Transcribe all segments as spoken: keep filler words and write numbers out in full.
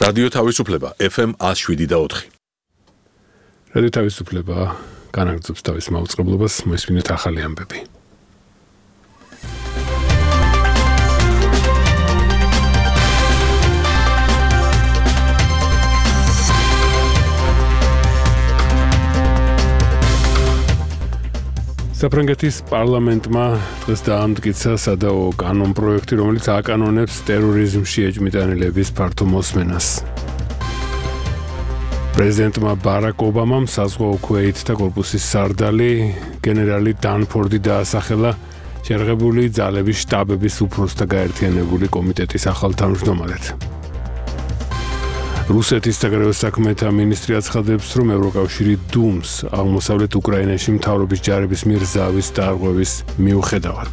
რადიო თავისუფლება F M one oh seven და four. რადიო თავისუფლება განაგრძობს თავის მაუწყებლობას, მოისმინეთ ახალი ამბები. საფრანგეთის პარლამენტმა დღეს დაამტკიცა სადაო კანონ პროექტი, რომელიც აკანონებს ტერორიზმში ეჭვმიტანილების ფართო მოსმენას. პრეზიდენტმა ბარაკ ობამამ საზღვაო ქვეითთა კორპუსის სარდალი გენერალი დანფორდი დაასახელა შერღებული ძალების შტაბების უფროსთა გაერთიანებული კომიტეტის ახალ თავმჯდომარედ. რუსეთის საგარეო საქმეთა მინისტრი აცხადებს, რომ ევროკავშირი დუმს აღმოსავლეთ უკრაინაში მთავრობის ჯარების მიერ ზავის დარღვევის მიუხედავად.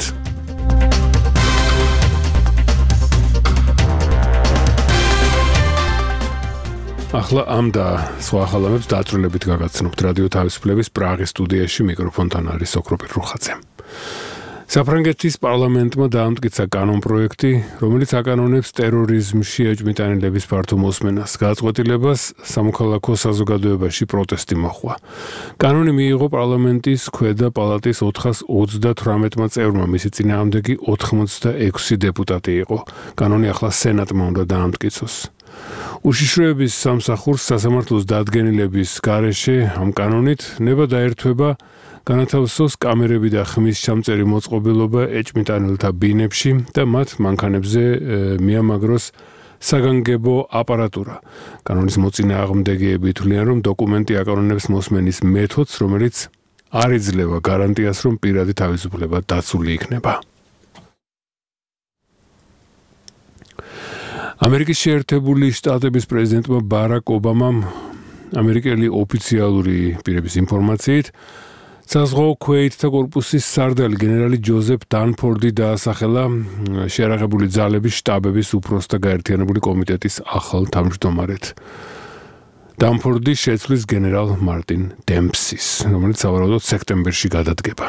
ახლა ამ და სხვა ახალამებს დაწვრილებით გაგაცნობთ რადიო თავისუფლების პრაღის სტუდიაში, მიკროფონთან არის ოქროპირ რუხაძე. საფრანგეთის პარლამენტმა დაამტკიცა კანონ პროექტი, რომელიც აკანონებს ტერორიზმში ეჭვმიტანილების ფართო მოსმენას. გაწყვეტილებას სამოქალაქო საზოგადოებაში პროტესტი მოჰყვა. კანონი მიიღო პარლამენტის ქვედა პალატის ოთხას ოცდათვრამეტმა წევრმა, მისი წინააღმდეგი ოცდაექვსი დეპუტატი იყო. კანონი ახლა სენატმა უნდა დაამტკიცოს. უშიშროების სამსახურს სასამართლოს დადგენილების გარეშე ამ კანონით ნება დაერთვება განათავსოს კამერები და ხმის ჩამწერი მოწყობილობა ეჭვმიტანილთა ბინებში და მათ მანქანებზე მიამაგროს საგანგებო აპარატურა. კანონის მოწინააღმდეგეები თვლიან, რომ დოკუმენტი აკანონებს მოსმენის მეთოდს, რომელიც არ იძლევა გარანტიას, რომ პირადი თავისუფლება დაცული იქნება. ამერიკის შეერთებული შტატების პრეზიდენტმა ბარაკ ობამამ ამერიკელი ოფიციალური პირების ინფორმაციით საზღვაო ქვეითთა კორპუსის სარდალი გენერალი ჯოზეფ დანფორდი დაასახელა შეერაღებული ძალების შტაბების უფროსთა გაერთიანებული კომიტეტის ახალ თავმჯდომარედ. დანფორდი შეცვლის გენერალ მარტინ დემპსის, რომელიც სავარაუდოდ სექტემბერში გადადგება.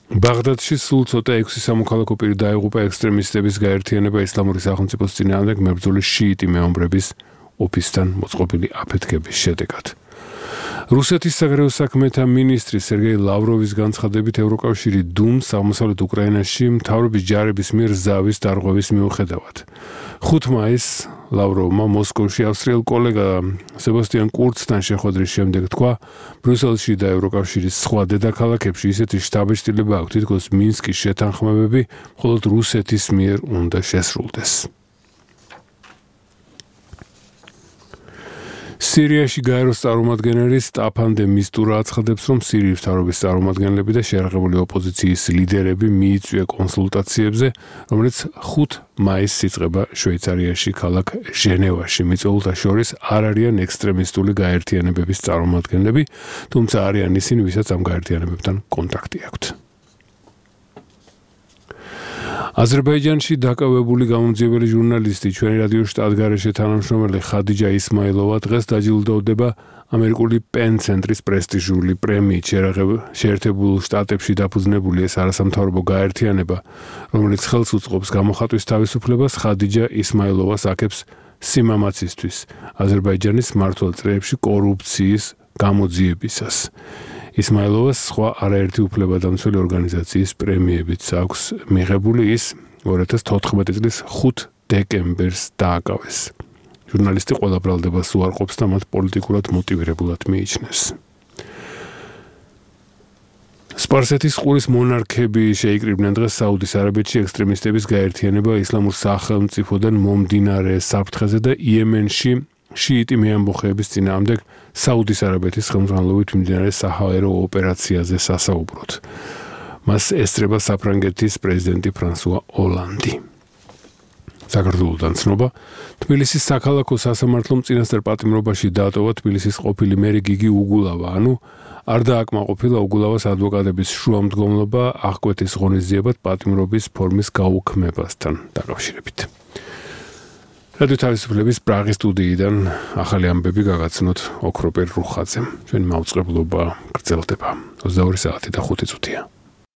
ბაღდადში სულ ცოტა ექვსი სამოქალაქო პირი დაიღუპა ექსტრემისტების გაერთიანება ისლამური სახელმწიფოს წინააღმდეგ მებრძოლი შიიტი მეომრების ოფისთან მოწყობილი აფეთქების შედეგად. რუსეთის საგარეო საქმეთა მინისტრი სერგეი ლავროვის განცხადებით ევროკავშირი დუმს აღმოსავლეთ უკრაინაში მთავრობის ჯარების მიერ ზავის დარღვევის მიუხედავად. ხუთი მაისს ლავროვმა მოსკოვში ავსტრიელ კოლეგა სებასტიან კურცთან შეხვედრის შემდეგ თქვა, ბრიუსელში და ევროკავშირის სხვა დედაქალაქებში ისეთი შტაბ-შტილება აქვს, თითქოს მინსკის შეთანხმებები მხოლოდ რუსეთის მიერ უნდა შესრულდეს. სირიაში გაეროს წარმომადგენელი სტაფან დე მისტურა აცხადებს, რომ სირიის მთავრობის წარმომადგენლები და შეერაღებული ოპოზიციის ლიდერები მიიწვია კონსულტაციებზე, რომელიც ხუთი მაისს იწყება შვეიცარიაში ქალაქ ჟენევაში. მიწვეულთა შორის არ არიან ექსტრემისტული გაერთიანებების წარმომადგენლები, თუმცა არიან ისინი, ვისაც ამ გაერთიანებებთან კონტაქტი აქვთ. აზერბაიჯანში დაკავებული გამომძიებელი ჟურნალისტი, ჩვენი რადიო შტატგარეშე თანამშრომელი ხადიჯა ისმაილოვა დღეს დაჯილდოვდება ამერიკული პენ ცენტრის პრესტიჟული პრემიით. შეერთებულ შტატებში დაფუძნებული ეს არასამთავრობო გაერთიანება, რომელიც ხელს უწყობს გამოხატვის თავისუფლებას, ხადიჯა ისმაილოვას აქებს სიმამაცისთვის აზერბაიჯანის მმართველ წრეებში კორუფციის გამოძიებისას. ისმაილოვას სხვა არაერთი უფლებადამცველი ორგანიზაციის პრემიებიც აქვს მიღებული, ის ორი ათას თოთხმეტი წლის ხუთი დეკემბერს დააკავეს. ჟურნალისტი ყველა ბრალდებას უარყოფს და მათ პოლიტიკურად მოტივირებულად მიიჩნევს. სპარსეთის ყურის მონარქები შეიკრიბნენ დღეს საუდის არაბეთში ექსტრემისტების გაერთიანება ისლამურ სახელმწიფოდან მომდინარე საფრთხეზე და იემენში შიიტი მეამბოხეების წინააღმდეგ საუდის არაბეთის ხელმძღვანელობით მიმდინარე საჰაერო ოპერაციაზე სასაუბროდ. მას ესწრება საფრანგეთის პრეზიდენტი ფრანსუა ოლანდი. საქართველოდან ცნობა, თბილისის საქალაქო სასამართლომ წინასწარ პატიმრობაში დაატოვა თბილისის ყოფილი მერი გიგი უგულავა, ანუ არ დააკმაყოფილა უგულავას ადვოკატების შუამდგომლობა აღკვეთის ღონისძიებად პატიმრობის ფორმის გაუქმებასთან დაკავშირებით. რადიო თავისუფლების პრაღის სტუდიიდან ახალი ამბები გაგაცნოთ ოქროპირ რუხაძემ. ჩვენი მაუწყებლობა გრძელდება ოცდაორი საათი და ხუთი წუთია.